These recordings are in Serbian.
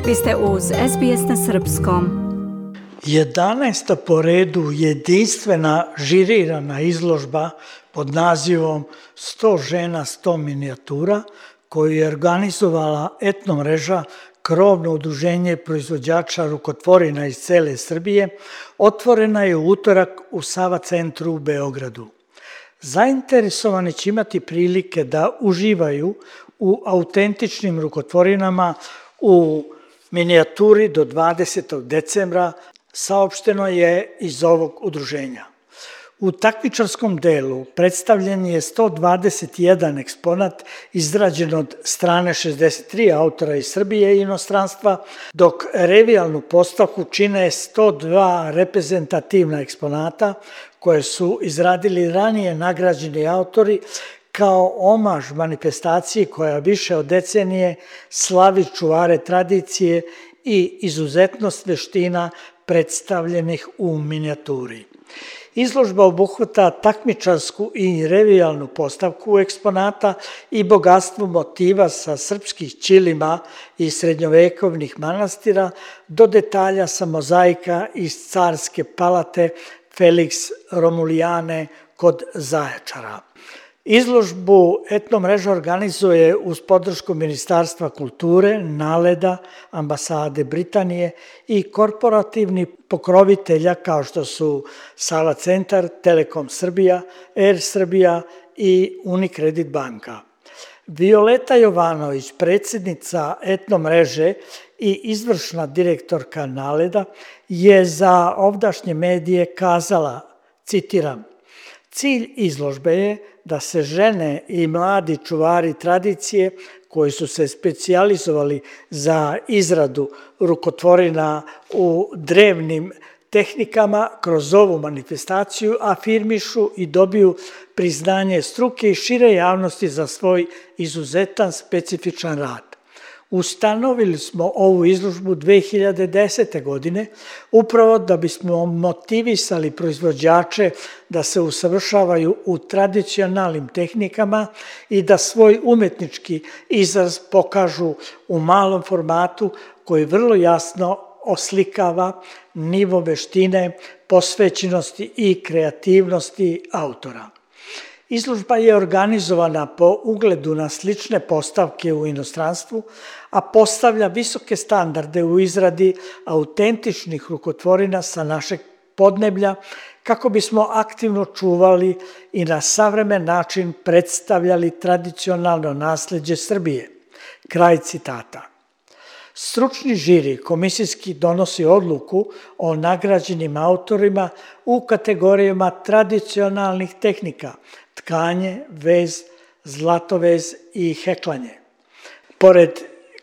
Vi ste uz SBS na srpskom. 11. po redu jedinstvena žirirana izložba pod nazivom 100 žena, 100 minijatura, koju je organizovala etno mreža Krovno udruženje proizvođača rukotvorina iz cele Srbije, otvorena je u utorak u Sava centru u Beogradu. Zainteresovani će imati prilike da uživaju u autentičnim rukotvorinama u minijaturi do 20. decembra, saopšteno je iz ovog udruženja. U takmičarskom delu predstavljen je 121 eksponat izrađen od strane 63 autora iz Srbije i inostranstva, dok revijalnu postavku čine 102 reprezentativna eksponata koje su izradili ranije nagrađeni autori kao omaž manifestaciji koja više od decenije slavi čuvare tradicije i izuzetnost veština predstavljenih u minijaturi. Izložba obuhvata takmičarsku i revijalnu postavku eksponata i bogatstvo motiva sa srpskih ćilima i srednjovekovnih manastira do detalja sa mozaika iz carske palate Felix Romulijane kod Zaječara. Izložbu etno mreža organizuje uz podršku Ministarstva kulture, NALED-a, Ambasade Britanije i korporativni pokrovitelja kao što su Sava centar, Telekom Srbija, Air Srbija i Unicredit banka. Violeta Jovanović, predsjednica etno mreže i izvršna direktorka NALED-a, je za ovdašnje medije kazala, citiram: "Cilj izložbe je da se žene i mladi čuvari tradicije koji su se specijalizovali za izradu rukotvorina u drevnim tehnikama kroz ovu manifestaciju afirmišu i dobiju priznanje struke i šire javnosti za svoj izuzetan specifičan rad. Ustanovili smo ovu izložbu 2010. godine upravo da bismo motivisali proizvođače da se usavršavaju u tradicionalnim tehnikama i da svoj umetnički izraz pokažu u malom formatu koji vrlo jasno oslikava nivo veštine, posvećenosti i kreativnosti autora. Izložba je organizovana po ugledu na slične postavke u inostranstvu, a postavlja visoke standarde u izradi autentičnih rukotvorina sa našeg podneblja, kako bismo aktivno čuvali i na savremen način predstavljali tradicionalno nasleđe Srbije." Kraj citata. Stručni žiri komisijski donosi odluku o nagrađenim autorima u kategorijama tradicionalnih tehnika, tkanje, vez, zlatovez i heklanje. Pored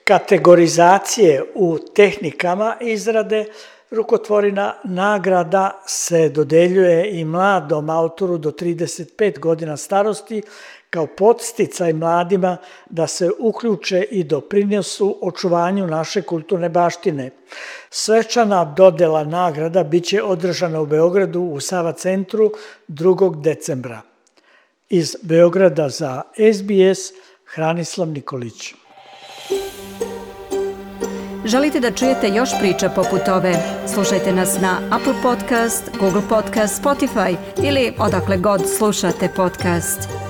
kategorizacije u tehnikama izrade rukotvorina, nagrada se dodeljuje i mladom autoru do 35 godina starosti kao podsticaj mladima da se uključe i doprinesu očuvanju naše kulturne baštine. Svečana dodela nagrada biće održana u Beogradu u Sava centru 2. decembra. Iz Beograda za SBS, Hranislav Nikolić. Želite da čujete još priča poput ove? Slušajte nas na Apple Podcast, Google Podcast, Spotify ili odakle god slušate podcast.